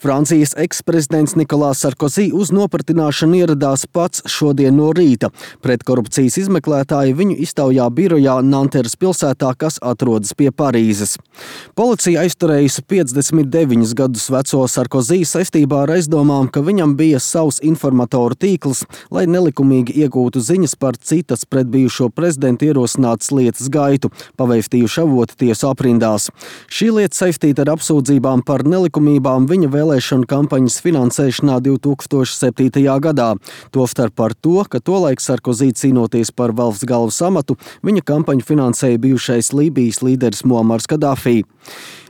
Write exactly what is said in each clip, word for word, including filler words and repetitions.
Francijas eksprezidents Nikolās Sarkozī uz nopratināšanu ieradās pats šodien no rīta. Pretkorupcijas izmeklētāji viņu iztaujā birojā Nanteras pilsētā, kas atrodas pie Parīzes. Policija aizturējusi piecdesmit deviņus gadus veco Sarkozī saistībā ar aizdomām, ka viņam bija savs informatoru tīkls, lai nelikumīgi iegūtu ziņas par citas pret bijušo prezidentu ierosinātas lietas gaitu, paveiktījuši avoti tiesu aprindās. Šī lieta saistīta ar apsūdzībām par nelikumībām viņa vēlēšanu kampaņas finansēšanā divi tūkstoši septītajā gadā. Tostarp par to, ka tolaik Sarkozī cīnoties par valsts galvas amatu, viņa kampaņu finansēja bijušais Lībijas līderis Muamars Kadafī.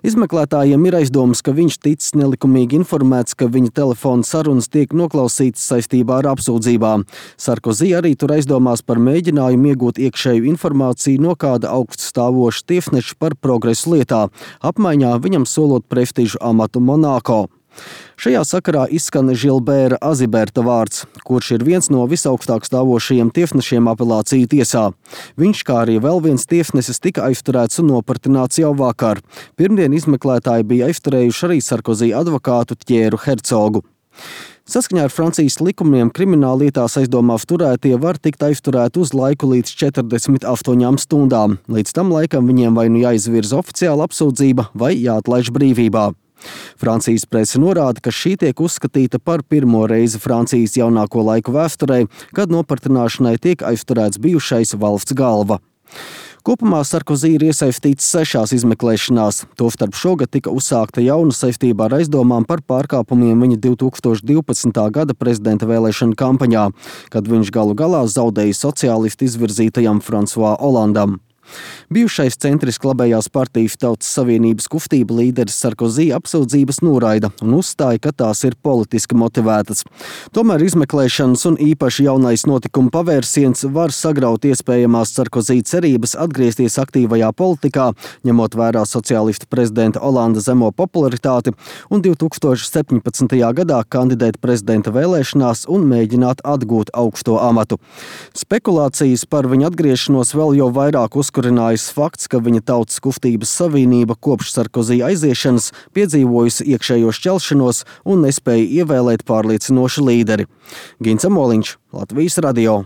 Izmeklētājiem ir aizdomas, ka viņš ticis nelikumīgi informēts, ka viņa telefona sarunas tiek noklausītas saistībā ar apsūdzībām. Sarkozī arī tur aizdomās par mēģinājumu iegūt iekšēju informāciju no kāda augststāvoša tiesneša par progresu lietā, apmaiņā viņam solot prestižu amatu Monako. Šajā sakarā izskan Žilbēra Aziberta vārds, kurš ir viens no visaugstāk stāvošajiem tiesnešiem apelāciju tiesā. Viņš, kā arī vēl viens tiesnesis, tika aizturēts un nopratināts jau vakar. Pirmdien izmeklētāji bija aizturējuši arī Sarkozī advokātu Tjēru Hercogu. Saskaņā ar Francijas likumiem krimināllietās aizdomās turētie var tikt aizturēti uz laiku līdz četrdesmit astoņām stundām. Līdz tam laikam viņiem vai nu jāizvirza oficiāla apsūdzība vai jāatlaiž brīvībā. Francijas prese norāda, ka šī tiek uzskatīta par pirmo reizi Francijas jaunāko laiku vēsturē, kad nopratināšanai tiek aizturēts bijušais valsts galva. Kopumā Sarkozī ir iesaistīts sešās izmeklēšanās. Tostarp šogad tika uzsākta jauna saistībā ar aizdomām par pārkāpumiem viņa divi tūkstoši divpadsmitā gada prezidenta vēlēšanu kampaņā, kad viņš galu galā zaudēja sociālistu izvirzītajam Fransuā Olandam. Bijušais centriski labējās partijas Tautas Savienības kustība līderis Sarkozī apsūdzības noraida un uzstāja, ka tās ir politiski motivētas. Tomēr izmeklēšanas un īpaši jaunais notikuma pavērsiens var sagraut iespējamās Sarkozī cerības atgriezties aktīvajā politikā, ņemot vērā sociālistu prezidenta Olanda zemo popularitāti un divi tūkstoši septiņpadsmitajā gadā kandidēt prezidenta vēlēšanās un mēģināt atgūt augsto amatu. Spekulācijas par viņa atgriešanos vēl jau vairāk uzkurinājis fakts, ka viņa Tautas kustības savienība kopš Sarkozī aiziešanas piedzīvojusi iekšējo šķelšanos un nespēja ievēlēt pārliecinošu līderi. Gins Amoliņš, Latvijas radio.